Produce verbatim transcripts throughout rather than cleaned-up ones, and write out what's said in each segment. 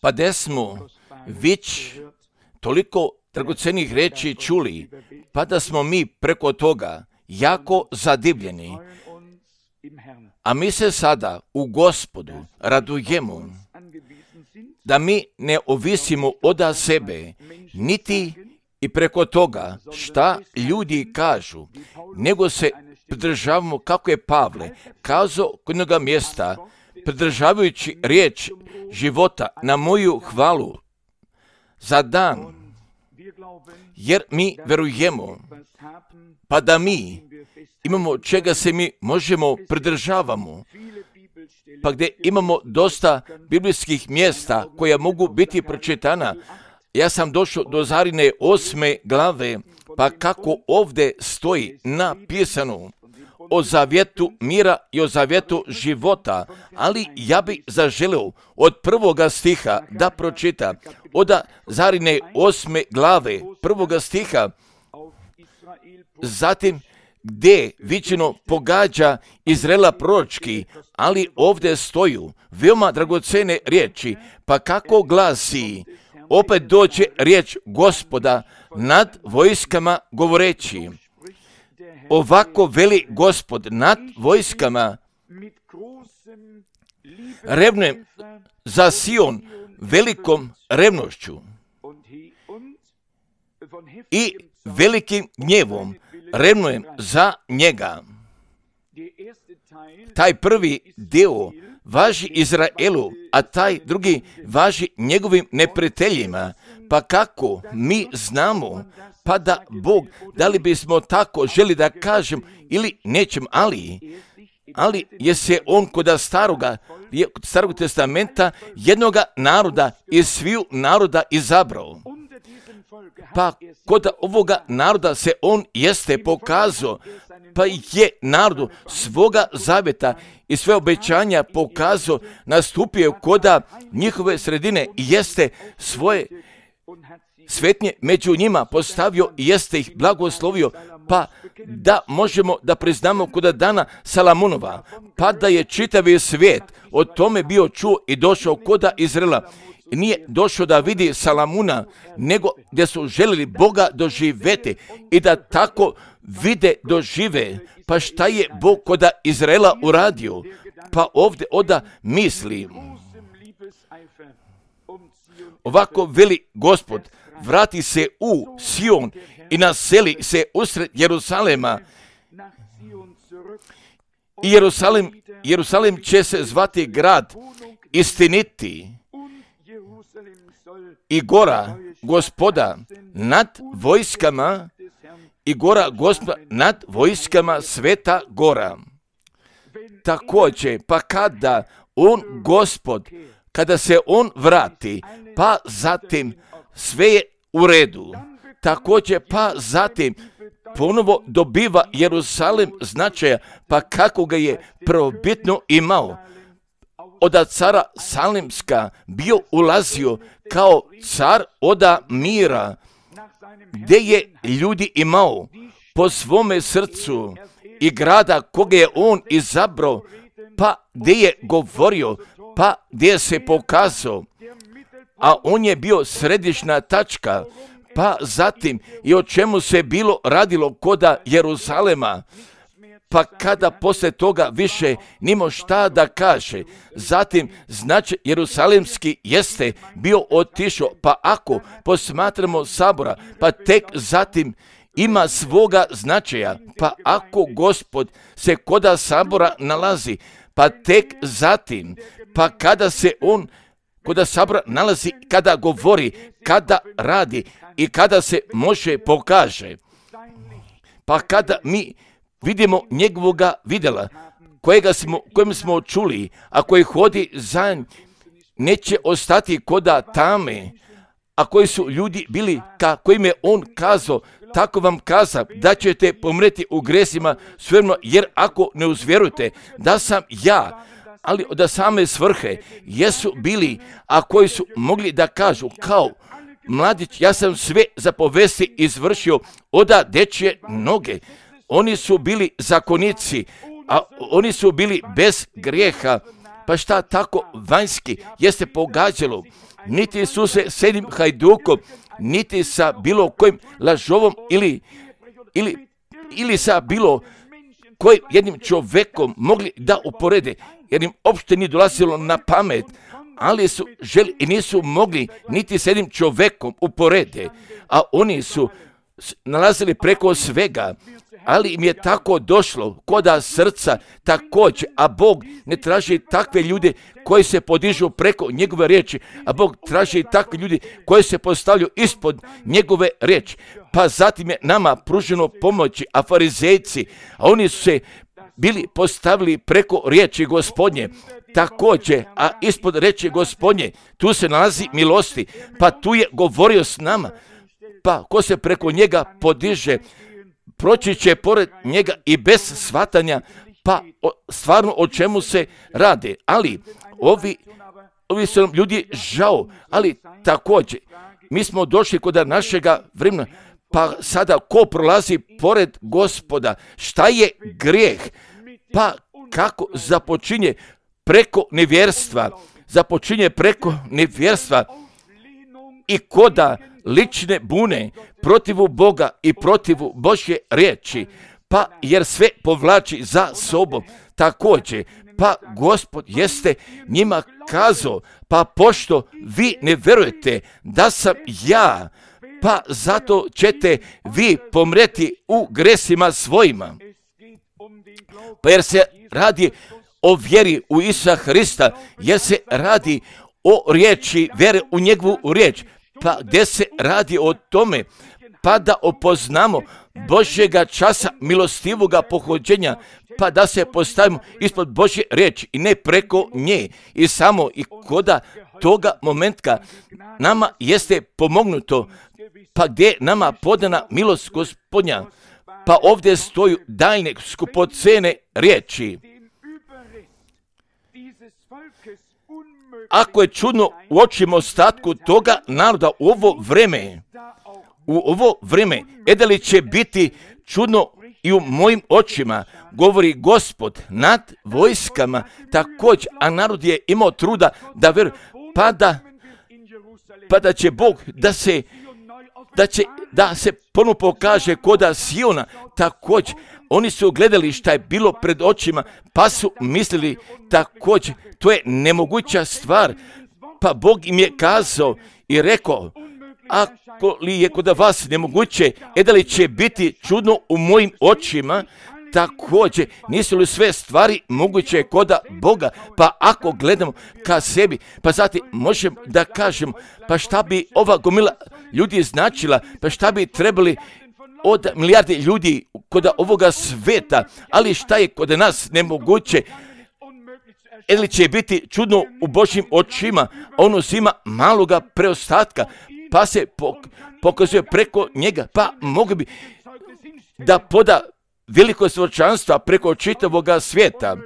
Pa da smo već toliko dragocenih reči čuli, pa da smo mi preko toga jako zadivljeni. A mi se sada u Gospodu radujemo da mi ne ovisimo od sebe, niti i preko toga šta ljudi kažu, nego se pridržavamo kako je Pavle kazao kod jednoga mjesta, pridržavajući riječ života na moju hvalu za dan, jer mi verujemo, pa da mi imamo čega se mi možemo pridržavamo, pa gdje imamo dosta biblijskih mjesta koja mogu biti pročitana. Ja sam došao do Zarine osme glave, pa kako ovdje stoji napisano o zavjetu mira i o zavjetu života, ali ja bih zaželio od prvoga stiha da pročita, od Zarine osme glave, prvoga stiha, zatim gdje vičino pogađa Izraela proročki, ali ovdje stoju veoma dragocene riječi, pa kako glasi, opet dođe riječ Gospoda nad vojskama govoreći, ovako veli Gospod nad vojskama, revnujem za Sion velikom revnošću i velikim gnjevom revnujem za njega. Taj prvi dio važi Izraelu, a taj drugi važi njegovim neprijateljima. Pa kako mi znamo, pa da Bog, da li bismo tako želi da kažem ili nećem, ali, ali je se on kod staroga, kod starog testamenta jednoga naroda iz sviju naroda izabrao. Pa kod ovoga naroda se on jeste pokazao, pa je narodu svoga zavjeta i sve obećanja pokazao, nastupio koda njihove sredine i jeste svoje svetnje među njima postavio i jeste ih blagoslovio, pa da možemo da priznamo koda dana Salamunova, pa da je čitavi svijet o tome bio čuo i došao koda Izraela. Nije došao da vidi Salamuna, nego gdje su željeli Boga doživjeti i da tako vide, dožive. Pa šta je Bog koda Izraela uradio? Pa ovdje oda misli, ovako veli Gospod, vrati se u Sion i naseli se usred Jerusalema. I Jerusalim, Jerusalim će se zvati grad istiniti i gora Gospoda nad vojskama i gora Gospoda nad vojskama, sveta gora. Također, pa kada on Gospod, kada se on vrati, pa zatim sve je u redu. Također, pa zatim ponovo dobiva Jerusalim značaja, pa kako ga je prvobitno imao. Od cara Salimska bio ulazio kao car oda mira, gdje je ljudi imao po svome srcu i grada koga je on izabrao, pa gdje je govorio, pa gdje se pokazao, a on je bio središnja tačka, pa zatim i o čemu se bilo radilo koda Jeruzalema, pa kada poslije toga više nimo šta da kaže, zatim znači Jerusalimski jeste bio otišao, pa ako posmatramo sabora, pa tek zatim ima svoga značaja, pa ako Gospod se koda sabora nalazi, pa tek zatim, pa kada se on koda sabora nalazi, kada govori, kada radi i kada se može pokaže, pa kada mi vidimo njegovoga vidjela, kojega smo, kojem smo čuli, a koji hodi za njim, neće ostati koda tame, a koji su ljudi bili, ka kojim je on kazao, tako vam kaza, da ćete pomreti u gresima svojima, jer ako ne uzvjerujete da sam ja, ali od same svrhe jesu bili, a koji su mogli da kažu kao mladić, ja sam sve zapovesti izvršio oda dečje noge. Oni su bili zakonici, a oni su bili bez grijeha Pa šta tako vanjski jeste pogađalo? Niti su se s jednim hajdukom, niti sa bilo kojim lažovom ili, ili, ili sa bilo kojim jednim čovjekom mogli da uporede, jer im uopšte nije dolazilo na pamet, ali su želi i nisu mogli niti s jednim čovjekom uporede, a oni su nalazili preko svega, ali im je tako došlo koda srca također, a Bog ne traži takve ljude koji se podižu preko njegove riječi, a Bog traži takve ljude koji se postavljaju ispod njegove riječi. Pa zatim je nama pruženo pomoći, a farizejci, a oni su se bili postavili preko riječi Gospodnje, također, a ispod riječi Gospodnje, tu se nalazi milosti, pa tu je govorio s nama, pa ko se preko njega podiže, proći će pored njega i bez shvatanja, pa o, stvarno o čemu se radi. Ali ovi, ovi su nam ljudi žao, ali također, mi smo došli kod našega vremena, pa sada ko prolazi pored Gospoda, šta je grijeh? Pa kako započinje preko nevjerstva, započinje preko nevjerstva i koda lične bune protivu Boga i protivu Božje riječi, pa jer sve povlači za sobom također, pa Gospod jeste njima kazao, pa pošto vi ne vjerujete da sam ja, pa zato ćete vi pomreti u gresima svojima. Pa jer se radi o vjeri u Isusa Hrista, jer se radi o riječi, vjere u njegovu riječ, pa gdje se radi o tome, pa da opoznamo Božjega časa milostivoga pohođenja, pa da se postavimo ispod Božje riječi i ne preko nje. I samo i koda toga momentka nama jeste pomognuto, pa gdje je nama podana milost Gospodnja, pa ovdje stoju daljne skupocene riječi. Ako je čudno u očima ostatku toga naroda u ovo vreme, u ovo vreme, e da li će biti čudno i u mojim očima, govori Gospod nad vojskama također, a narod je imao truda da vjeruje, pa da, pa da će Bog da se, da će, da se ponovno pokaže koda Siona također. Oni su gledali šta je bilo pred očima, pa su mislili također, to je nemoguća stvar, pa Bog im je kazao i rekao, ako li je kod vas nemoguće, e da li će biti čudno u mojim očima, također, nisu li sve stvari moguće koda Boga, pa ako gledamo ka sebi, pa zatim možemo da kažemo, pa šta bi ova gomila ljudi značila, pa šta bi trebali od milijarde ljudi kod ovoga sveta, ali šta je kod nas nemoguće, ili će biti čudno u Božjim očima, on uzima maloga preostatka, pa se pokazuje preko njega, pa mogu bi da poda veliko svjedočanstva preko čitavoga svijeta.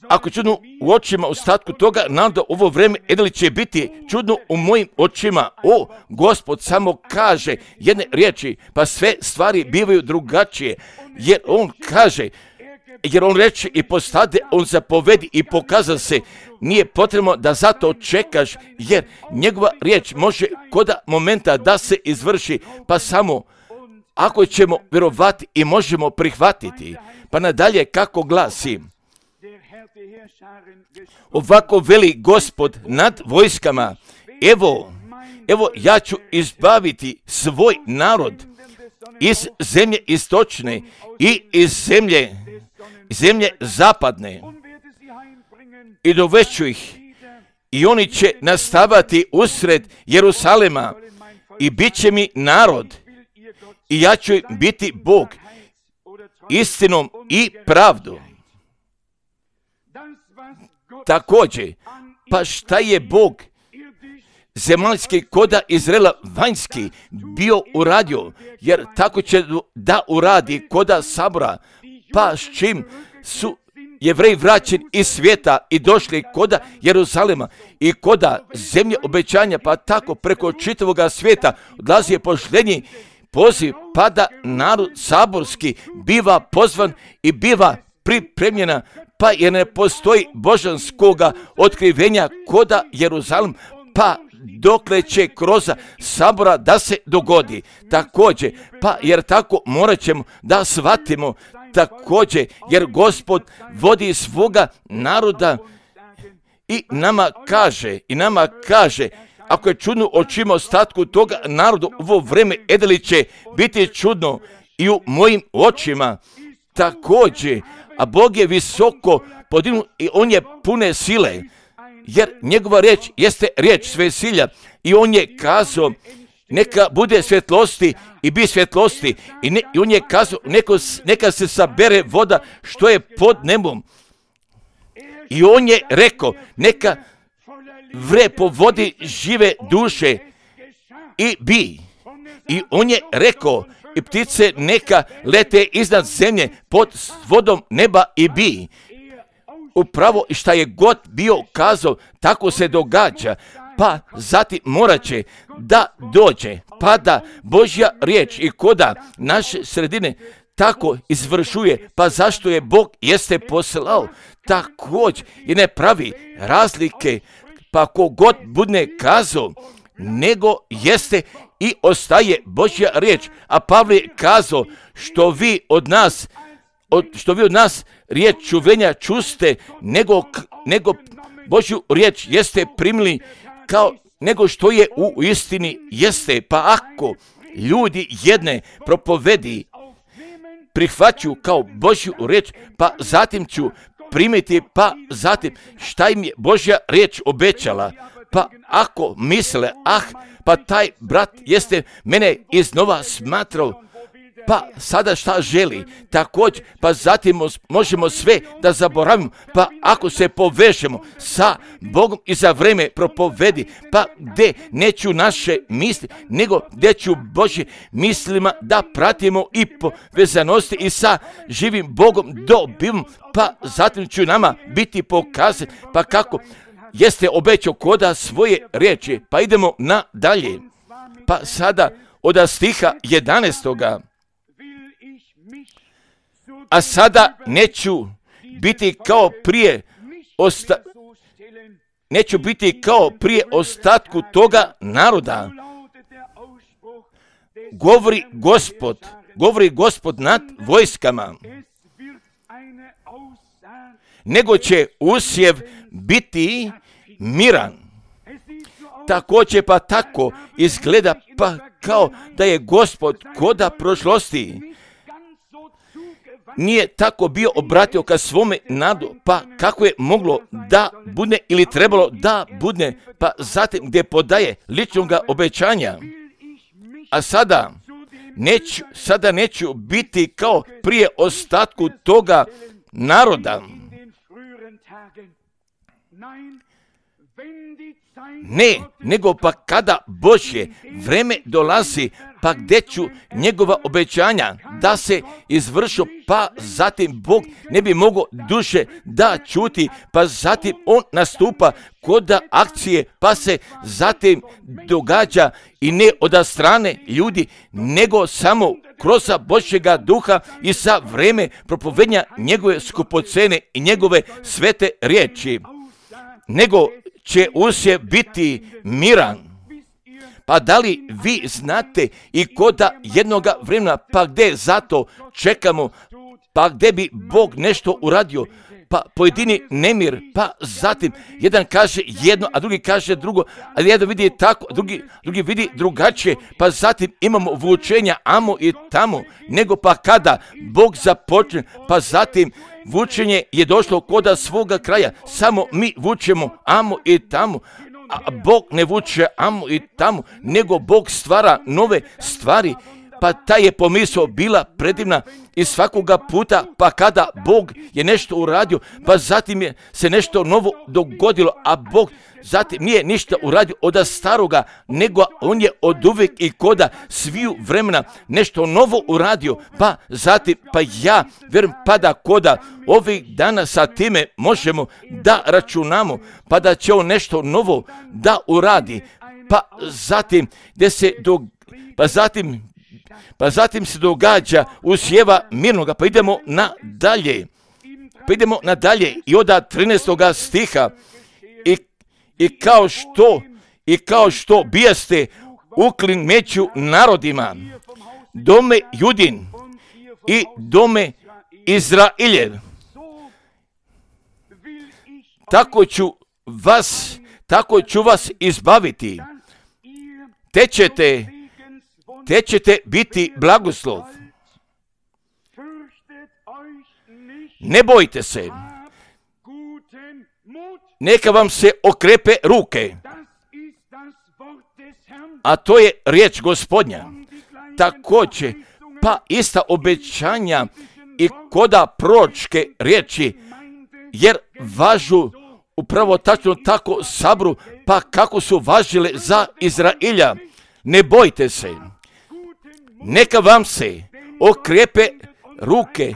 Ako čudno u očima ostatku toga naroda ovo vrijeme, ili će biti čudno u mojim očima, o, Gospod samo kaže jedne riječi, pa sve stvari bivaju drugačije, jer on kaže, jer on reče i postade, on zapovedi i pokaza se, nije potrebno da zato čekaš, jer njegova riječ može koda momenta da se izvrši, pa samo ako ćemo vjerovati i možemo prihvatiti. Pa nadalje kako glasi, ovako veli Gospod nad vojskama, evo, evo ja ću izbaviti svoj narod iz zemlje istočne i iz zemlje, zemlje zapadne i dovešću ih i oni će nastavati usred Jerusalema i bit će mi narod i ja ću biti Bog istinom i pravdom. Također, pa šta je Bog zemaljski koda Izraela vanjski bio uradio, jer tako će da uradi koda sabora, pa s čim su Jevreji vraćeni iz svijeta i došli koda Jeruzalema i koda zemlje obećanja, pa tako preko čitavoga svijeta odlazi je poštenji poziv, pa da narod saborski biva pozvan i biva pripremljena, pa jer ne postoji božanskoga otkrivenja koda Jeruzalem, pa dokle će kroz sabora da se dogodi. Također, pa jer tako morat ćemo da shvatimo, također, jer Gospod vodi svoga naroda i nama kaže, i nama kaže, ako je čudno očima ostatku toga narodu, ovo vreme edeli će biti čudno i u mojim očima. Također, a Bog je visoko podignuo i on je pune sile, jer njegova riječ jeste riječ svesilja i on je kazao neka bude svjetlosti i bi svjetlosti i, ne, i on je kazao neko, neka se sabere voda što je pod nebom i on je rekao neka vre po vodi žive duše i bi. I on je rekao i ptice neka lete iznad zemlje pod vodom neba i bi. Upravo šta je god bio kazao, tako se događa. Pa zatim morat će da dođe, pa da Božja riječ i koda naše sredine tako izvršuje, pa zašto je Bog jeste poslao, također i ne pravi razlike, pa kogod bude kazao, nego jeste i ostaje Božja riječ. A Pavle je kazao, što vi od nas, od, što vi od nas riječ čuvenja čuste, nego, nego Božju riječ jeste primili kao nego što je u istini jeste. Pa ako ljudi jedne propovedi prihvaću kao Božju riječ, pa zatim ću primiti, pa zatim šta im je Božja riječ obećala. Pa ako misle, ah, pa taj brat jeste mene iznova smatrao, pa sada šta želi, također, pa zatim možemo sve da zaboravimo, pa ako se povežemo sa Bogom i za vreme propovedi, pa gdje neću naše misli, nego gdje ću Božje mislima da pratimo i povezanosti i sa živim Bogom dobivamo, pa zatim ću nama biti pokazan, pa kako jeste obećao koda svoje riječi. Pa idemo nadalje, pa sada od stiha jedanaestoga. A sada neću biti kao prije osta... neću biti kao prije ostatku toga naroda. Govori Gospod, govori Gospod nad vojskama. Nego će usjev biti miran. Također pa tako izgleda pa kao da je Gospod koda prošlosti nije tako bio obratio ka svome nadu, pa kako je moglo da bude ili trebalo da bude, pa zatim gdje podaje ličnog obećanja. A sada neću, sada neću biti kao prije ostatku toga naroda. Ne, nego pa kada Božje vreme dolazi, pa gdje ću njegova obećanja da se izvršu, pa zatim Bog ne bi mogao duše da čuti, pa zatim on nastupa kod akcije, pa se zatim događa i ne od strane ljudi, nego samo kroz Božjega duha i sa vreme propovednja njegove skupocene i njegove svete riječi. Nego će usjev biti miran. Pa da li vi znate i koda jednoga vremena, pa gdje zato čekamo, pa gdje bi Bog nešto uradio, pa pojedini nemir, pa zatim jedan kaže jedno, a drugi kaže drugo, ali jedan vidi tako, drugi, drugi vidi drugačije, pa zatim imamo vučenja amo i tamo, nego pa kada Bog započne, pa zatim vučenje je došlo koda svoga kraja, samo mi vučemo amo i tamo, a Bog ne vuče amo i tamo, nego Bog stvara nove stvari, pa ta je pomisao bila predivna i svakoga puta, pa kada Bog je nešto uradio, pa zatim je se nešto novo dogodilo, a Bog zatim nije ništa uradio od staroga, nego on je od uvijek i koda sviju vremena nešto novo uradio, pa zatim, pa ja vjerujem pa da koda ovih dana sa time možemo da računamo, pa da će on nešto novo da uradi, pa zatim gdje se do, pa zatim Pa zatim se događa usjeva mirnoga, pa idemo nadalje. Pa idemo nadalje i od trinaestoga stiha i, i kao što i kao što bijaste uklin meću narodima, dome Judin i dome Izrailjev, tako ću vas, tako ću vas izbaviti, te ćete, te ćete biti blagoslov. Ne bojte se, neka vam se okrepe ruke, a to je riječ Gospodnja. Također, pa ista obećanja i koda proročke riječi, jer važu upravo tačno tako sabru, pa kako su važile za Izrailja. Ne bojte se, neka vam se okrepe ruke,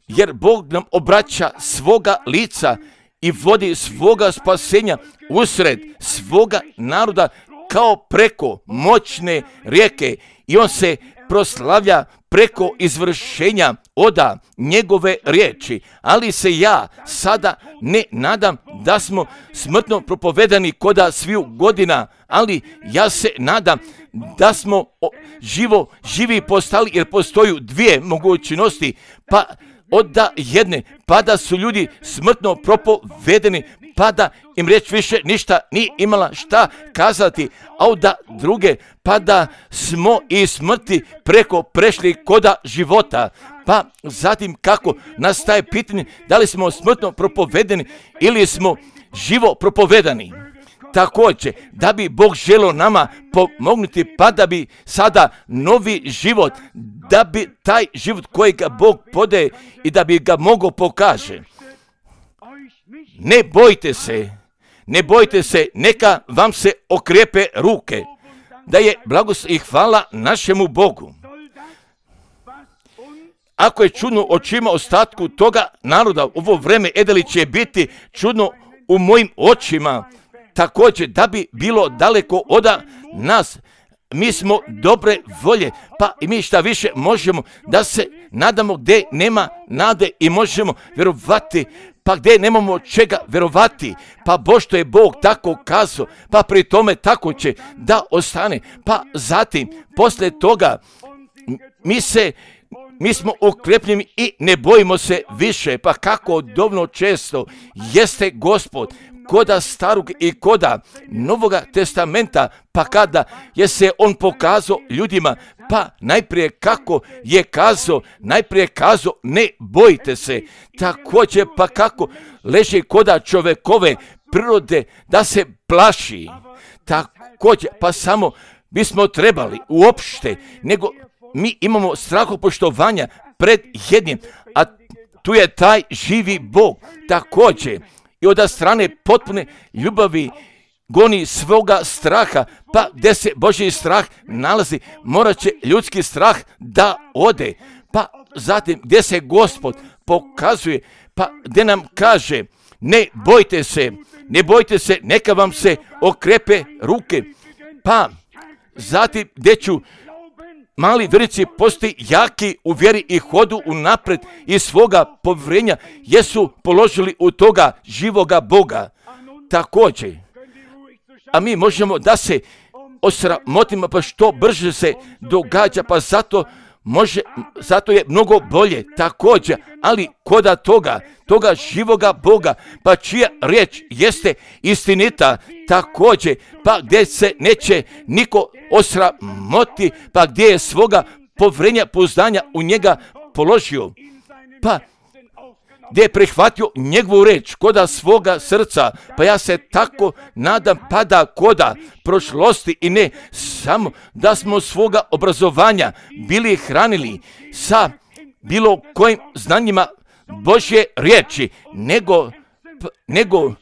jer Bog nam obraća svoga lica i vodi svoga spasenja usred svoga naroda kao preko moćne rijeke, i on se proslavlja preko izvršenja oda njegove riječi. Ali se ja sada ne nadam da smo smrtno propovedani koda sviju godina, ali ja se nadam da smo živo živi postali, jer postoju dvije mogućnosti, pa od da jedne, pa da su ljudi smrtno propovedeni, pa da im riječ više ništa nije imala šta kazati, a od da druge, pa da smo i smrti preko prešli koda života. Pa zatim kako nastaje pitanje da li smo smrtno propovedeni ili smo živo propovedani. Također, da bi Bog želio nama pomognuti, pa da bi sada novi život, da bi taj život kojega Bog podaje i da bi ga mogao pokaže. Ne bojte se, ne bojte se, neka vam se okrepe ruke, da je blagoslov i hvala našemu Bogu. Ako je čudno očima ostatku toga naroda, ovo vreme Edeli će biti čudno u mojim očima, također da bi bilo daleko od nas. Mi smo dobre volje, pa i mi šta više možemo da se nadamo gdje nema nade i možemo vjerovati, pa gdje nemamo čega vjerovati, pa bo što je Bog tako kazao, pa pri tome tako će da ostane. Pa zatim, poslije toga, mi se Mi smo ukrepljeni i ne bojimo se više, pa kako dovoljno često jeste Gospod koda starog i koda Novoga testamenta, pa kada je se on pokazao ljudima, pa najprije kako je kazao, najprije kazao ne bojte se, također pa kako leži koda čovekove prirode da se plaši, također pa samo bismo trebali uopšte, nego mi imamo strahopoštovanja pred jednim, a tu je taj živi Bog. Također i od strane potpune ljubavi goni svoga straha, pa gdje se Božji strah nalazi, morat će ljudski strah da ode. Pa zatim gdje se Gospod pokazuje, pa gdje nam kaže ne bojte se, ne bojte se, neka vam se okrepe ruke. Pa zatim gdje ću mali vjernici postoji jaki u vjeri i hodu unapred i svoga povjerenja jesu položili u toga živoga Boga. Također, a mi možemo da se osramotimo, pa što brže se događa, pa zato može, zato je mnogo bolje također, ali koda toga, toga živoga Boga, pa čija riječ jeste istinita također, pa gdje se neće niko osramoti, pa gdje je svoga povjerenja, pouzdanja u njega položio, pa gdje je prihvatio njegovu reč koda svoga srca, pa ja se tako nadam, pa da koda prošlosti i ne samo da smo svoga obrazovanja bili hranili sa bilo kojim znanjima Božje riječi, nego, nego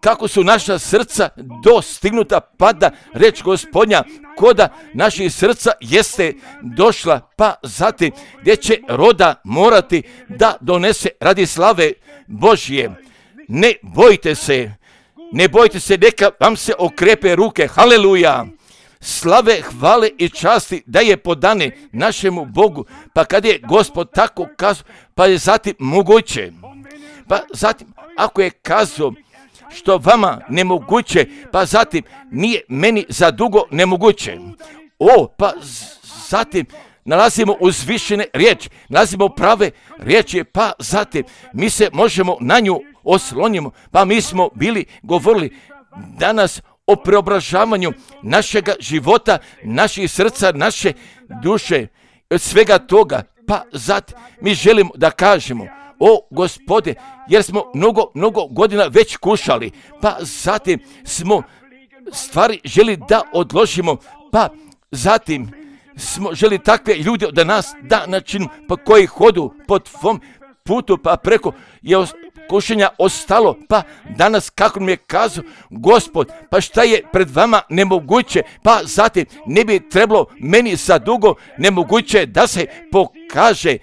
kako su naša srca dostignuta, pa da reč Gospodnja koda naših srca jeste došla, pa zatim gdje će roda morati da donese radi slave Božje. Ne bojte se, ne bojte se, neka vam se okrepe ruke, haleluja. Slave, hvale i časti da je podane našemu Bogu, pa kad je Gospod tako kazao, pa je zatim moguće. pa zatim ako je kazao što vama nemoguće, pa zatim nije meni za dugo nemoguće. O, pa zatim nalazimo uzvišene riječi, nalazimo prave riječi, pa zatim mi se možemo na nju oslonimo. Pa mi smo bili govorili danas o preobražavanju našega života, naših srca, naše duše, od svega toga. Pa zatim mi želimo da kažemo, o Gospode, jer smo mnogo, mnogo godina već kušali, pa zatim smo stvari želi da odložimo, pa zatim smo želi takve ljude da nas da načinu, pa koji hodu po tvom putu, pa preko je kušenja ostalo, pa danas kako mi je kazao Gospod, pa šta je pred vama nemoguće, pa zatim ne bi trebalo meni za dugo nemoguće da se pokaže.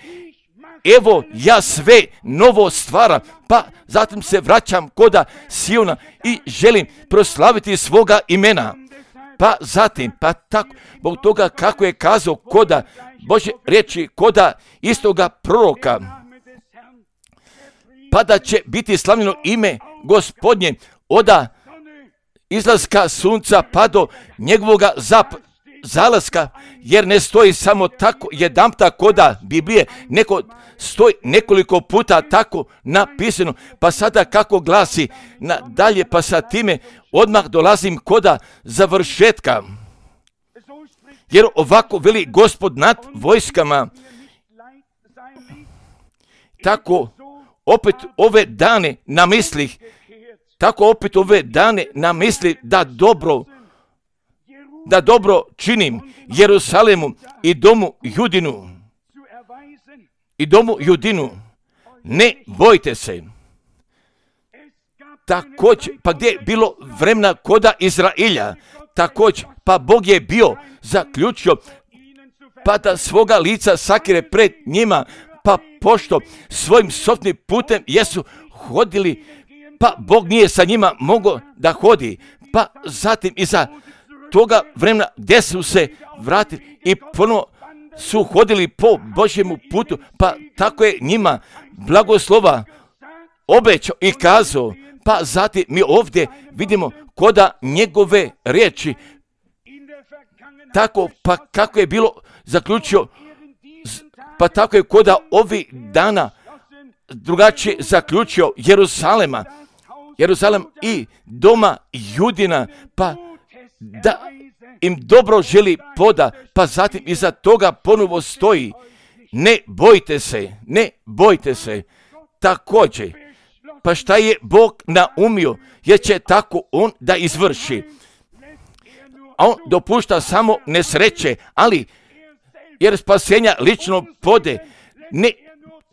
Evo ja sve novo stvaram, pa zatim se vraćam koda Siona i želim proslaviti svoga imena. Pa zatim, pa tako, zbog toga kako je kazao koda Božje riječi, koda istoga proroka, pa da će biti slavljeno ime Gospodnje oda izlaska sunca pa do njegovoga zap, zalaska, jer ne stoji samo tako jedanputa koda Biblije, neko stoji nekoliko puta tako napisano, pa sada kako glasi nadalje, pa sa time odmah dolazim koda završetka. Jer ovako veli Gospod nad vojskama, tako opet ove dane na mislih, tako opet ove dane na misli da dobro, da dobro činim Jerusalemu i domu Judinu, i domu Judinu, ne bojte se. Također, pa gdje je bilo vremena koda Izrailja, također, pa Bog je bio zaključio, pa da svoga lica sakire pred njima, pa pošto svojim sopnim putem jesu hodili, pa Bog nije sa njima mogao da hodi, pa zatim iza toga vremena gdje su se vratili i ponovo su hodili po Božjemu putu, pa tako je njima blagoslova obećao i kazao, pa zatim mi ovdje vidimo koda njegove riječi, tako pa kako je bilo zaključio, pa tako je koda ovih dana drugačije zaključio Jerusalema, Jeruzalem i doma Judina, pa da im dobro želi poda, pa zatim iza toga ponovo stoji, ne bojte se, ne bojte se. Također, pa šta je Bog naumio, jer će tako on da izvrši. A on dopušta samo nesreće, ali jer spasenja lično pode, ne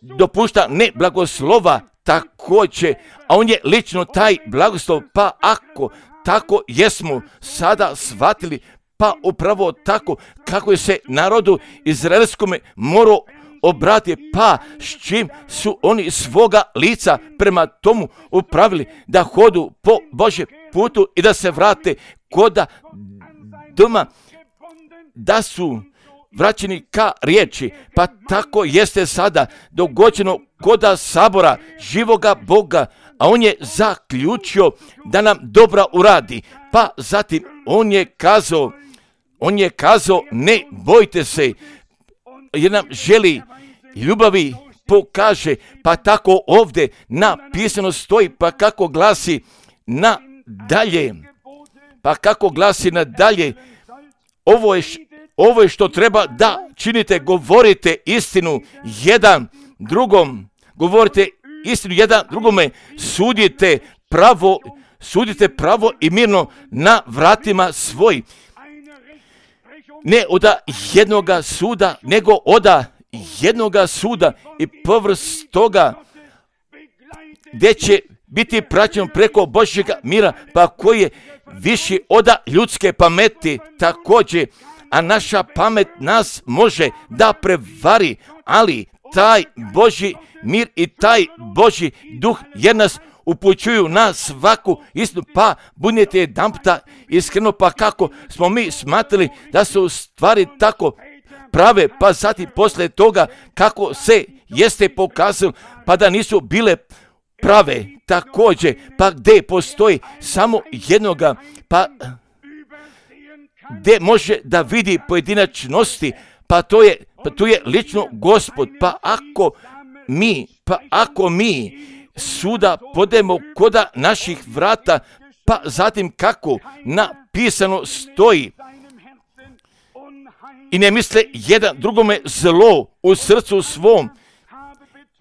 dopušta ne blagoslova također, a on je lično taj blagoslov, pa ako tako jesmo sada shvatili, pa upravo tako kako je se narodu izraelskome morao obratiti, pa s čim su oni svoga lica prema tomu upravili da hodu po Božjem putu i da se vrate koda doma, da su vraćeni ka riječi, pa tako jeste sada dogođeno koda sabora živoga Boga, a on je zaključio da nam dobra uradi, pa zatim on je kazao, on je kazao ne bojte se, jer nam želi ljubavi pokaže, pa tako ovdje napisano stoji, pa kako glasi nadalje, pa kako glasi nadalje, ovo je, ovo je što treba da činite, govorite istinu jedan drugom, govorite istinu jedan drugome, sudite pravo, sudite pravo i mirno na vratima svoj. Ne oda jednoga suda, nego oda jednoga suda i povrst toga gdje će biti praćen preko Božjega mira, pa koji je viši oda ljudske pameti također, a naša pamet nas može da prevari, ali taj Božji mir i taj Božji duh jer nas upućuju na svaku istinu, pa budite jedanputa iskreno, pa kako smo mi smatrali da su stvari tako prave, pa zatim posle toga kako se jeste pokazalo, pa da nisu bile prave također, pa gdje postoji samo jednoga, pa gdje može da vidi pojedinačnosti, pa to je, pa tu je lično Gospod. Pa ako mi, pa ako mi suda podemo koda naših vrata, pa zatim kako napisano stoji, i ne misle jedan drugome zlo u srcu svom,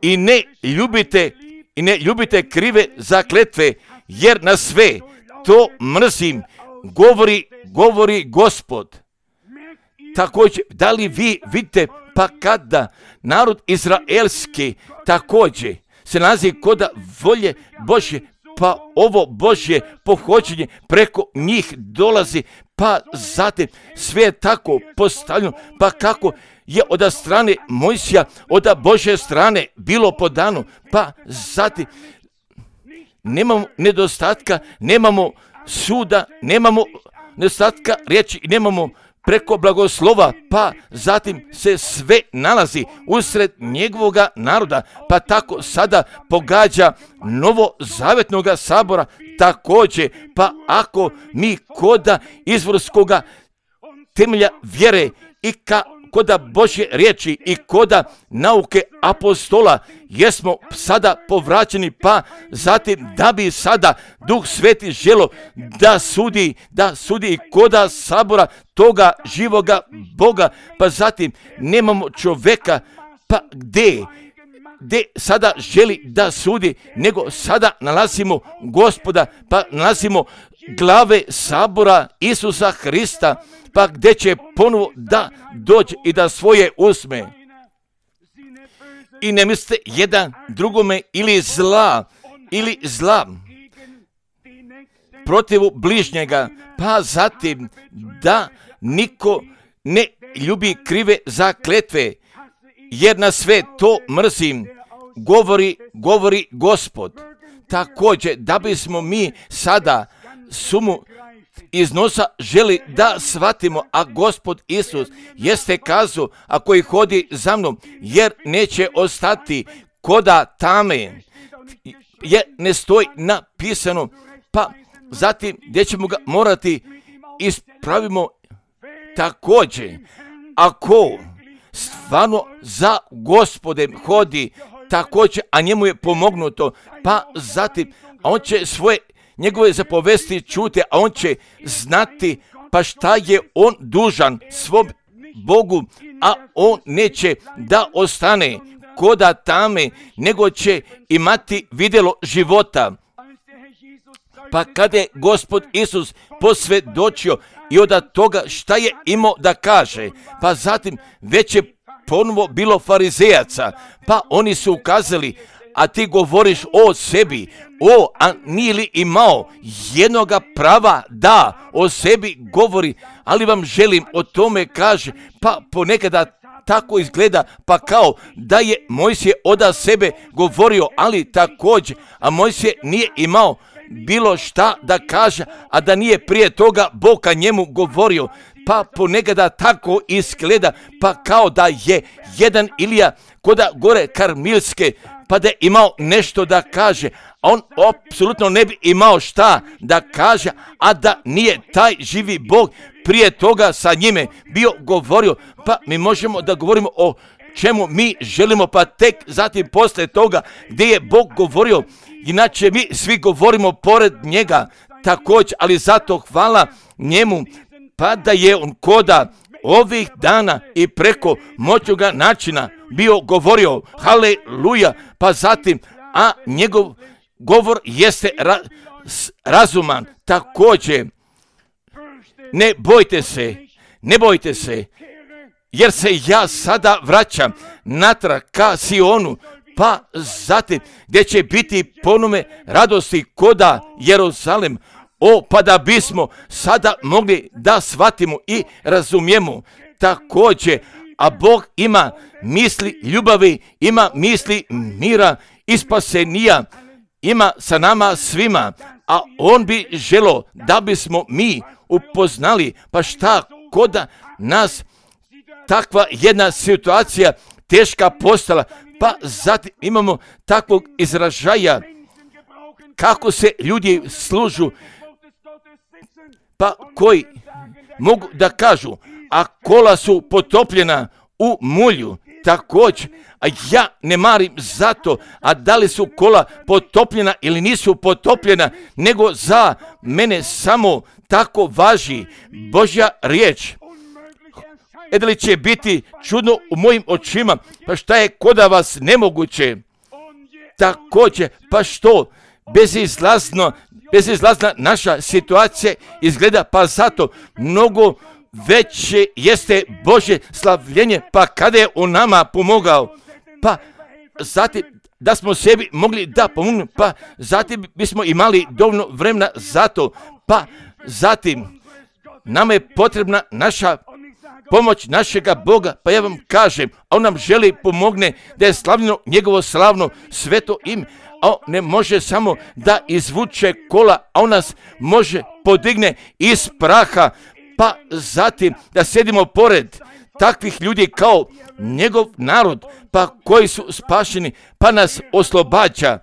i ne ljubite i ne ljubite krive zakletve, jer na sve to mrzim, govori, govori Gospod. Također, da li vi vidite, pa kada narod izraelski također se nalazi koda volje Božje, pa ovo Božje pohođenje preko njih dolazi, pa zatim sve je tako postavljeno, pa kako je od strane Mojsija, od Božje strane bilo podano, pa zatim nemamo nedostatka, nemamo suda, nemamo nedostatka riječi, nemamo preko blagoslova, pa zatim se sve nalazi usred njegovoga naroda, pa tako sada pogađa novozavjetnoga sabora također, pa ako mi koda izvorskoga temelja vjere i ka koda Božje riječi i koda nauke apostola jesmo sada povraćeni, pa zatim da bi sada Duh Sveti želo da sudi, da sudi i koda sabora toga živoga Boga, pa zatim nemamo čovjeka, pa gdje, gdje sada želi da sudi, nego sada nalazimo Gospoda, pa nalazimo glave sabora Isusa Hrista, pa gdje će ponovo da dođe i da svoje uzme. I ne mislite jedan drugome ili zla, ili zla protivu bližnjega, pa zatim da niko ne ljubi krive zakletve, jer na sve to mrzim, govori, govori Gospod. Također, da bismo mi sada sumu iznosa želi da shvatimo, a Gospod Isus jeste kazao, a koji hodi za mnom, jer neće ostati koda tame, jer ne stoji napisano, pa zatim gdje ćemo ga morati ispravimo također. Ako stvarno za Gospodem hodi također, a njemu je pomognuto, pa zatim, a on će svoje njegove zapovesti čute, a on će znati pa šta je on dužan svom Bogu, a on neće da ostane koda tame, nego će imati vidjelo života. Pa kada je Gospod Isus posvjedočio i od toga šta je imao da kaže, pa zatim već je ponovo bilo farizejaca, pa oni su ukazali, a ti govoriš o sebi, o, a nije li imao jednoga prava da o sebi govori, ali vam želim o tome kaže, pa ponekada tako izgleda, pa kao da je Mojsije od sebe govorio, ali također, a Mojsije nije imao bilo šta da kaže, a da nije prije toga Bog ka njemu govorio, pa ponekada tako izgleda, pa kao da je jedan Ilija koda gore Karmilske, pa da je imao nešto da kaže, a on apsolutno ne bi imao šta da kaže, a da nije taj živi Bog prije toga sa njime bio govorio. Pa mi možemo da govorimo o čemu mi želimo, pa tek zatim poslije toga gdje je Bog govorio, inače mi svi govorimo pored njega također, ali zato hvala njemu, pa da je on koda ovih dana i preko moćnoga načina bio govorio, haleluja, pa zatim, a njegov govor jeste ra, razuman također. Ne bojte se, ne bojte se, jer se ja sada vraćam natrag ka Sionu, pa zatim gdje će biti ponume radosti koda Jeruzalem. O, pa da bismo sada mogli da shvatimo i razumijemo također, a Bog ima misli ljubavi, ima misli mira i spasenija, ima sa nama svima, a on bi želo da bismo mi upoznali, pa šta koda nas takva jedna situacija teška postala, pa zatim imamo takvog izražaja, kako se ljudi služu, pa koji mogu da kažu, a kola su potopljena u mulju, također, a ja ne marim zato, a da li su kola potopljena ili nisu potopljena, nego za mene samo tako važi Božja riječ. E da li će biti čudno u mojim očima, pa šta je kod vas nemoguće? Također, pa što bezizlazno, bezizlazna naša situacija izgleda, pa zato mnogo veće jeste Božje slavljenje, pa kada je on nama pomogao, pa zatim da smo sebi mogli da pomognemo, pa zatim bismo imali dovoljno vremena za to, pa zatim nama je potrebna naša pomoć našega Boga, pa ja vam kažem, a on nam želi pomogne da je slavljeno njegovo slavno sveto ime, a on ne može samo da izvuče kola, a on nas može podigne iz praha, pa zatim da sedimo pored takvih ljudi kao njegov narod, pa koji su spašeni, pa nas oslobađa,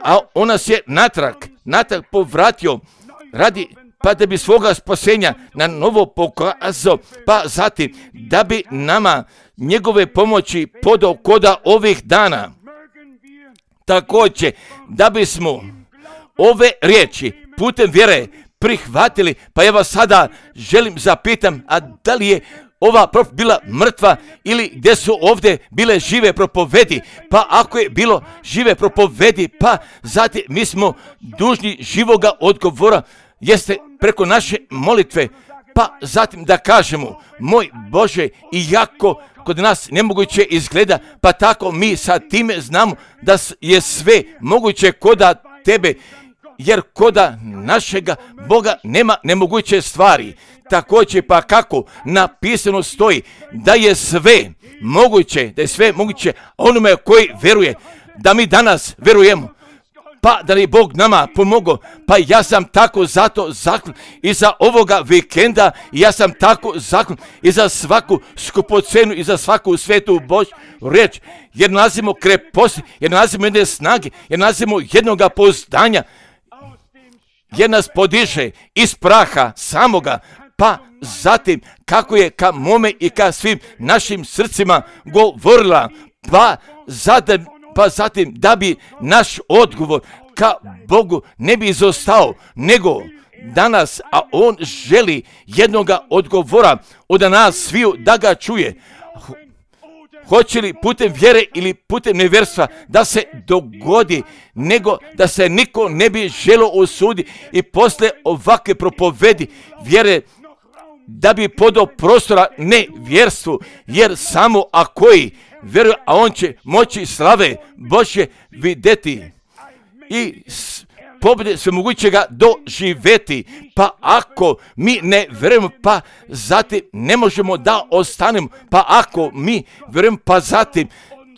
a on nas je natrag, natrag povratio radi, pa da bi svoga spasenja na novo pokazao, pa zatim da bi nama njegove pomoći podao koda ovih dana. Također, da bismo ove riječi putem vjere prihvatili, pa ja vas sada želim zapitam, a da li je ova prop bila mrtva ili gdje su ovdje bile žive propovedi? Pa ako je bilo žive propovedi, pa zatim mi smo dužni živoga odgovora, jeste preko naše molitve, pa zatim da kažemo, moj Bože, iako kod nas nemoguće izgleda, pa tako mi sa time znamo da je sve moguće koda tebe, jer koda našega Boga nema nemoguće stvari. Također, pa kako napisano stoji da je sve moguće, da je sve moguće onome koji veruje, da mi danas verujemo, pa da li Bog nama pomogao, pa ja sam tako zato zaklon i za ovoga vikenda, ja sam tako zaklon i za svaku skupocenu i za svaku svetu Božju riječ, jer nalazimo kreposti, jer nalazimo jedne snage, jer nalazimo jednoga pouzdanja, jer nas podiže iz praha samoga, pa zatim kako je ka mome i ka svim našim srcima govorila, pa zatim, pa zatim da bi naš odgovor ka Bogu ne bi izostao, nego danas, a on želi jednoga odgovora od nas sviju da ga čuje. Hoće li putem vjere ili putem nevjerstva da se dogodi, nego da se niko ne bi želo osudi i posle ovakve propovedi vjere da bi podao prostora nevjerstvu, jer samo a koji vjeruje, a on će moći slave Božje vidjeti i pobjede svemogućega doživjeti. Pa ako mi ne vjerujemo, pa zatim ne možemo da ostanemo, pa ako mi vjerujemo, pa zatim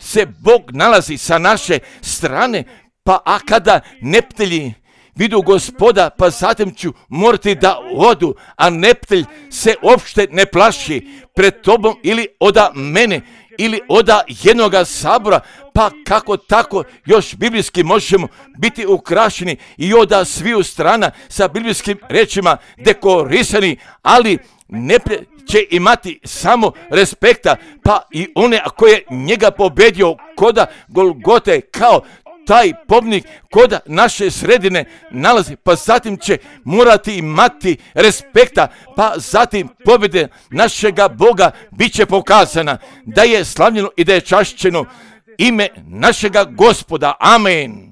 se Bog nalazi sa naše strane, pa a kada neptelji vidu Gospoda, pa zatim ću morati da odu, a neptelj se uopšte ne plaši pred tobom ili oda mene, ili oda jednoga sabora, pa kako tako još biblijski možemo biti ukrašeni i oda sviju strana sa biblijskim rečima dekorisani, ali neptelj će imati samo respekta, pa i one koje njega pobedio koda Golgote kao taj pobnik koda naše sredine nalazi, pa zatim će morati imati respekta, pa zatim pobjede našega Boga bit će pokazana, da je slavljeno i da je čašćeno ime našega Gospoda. Amen.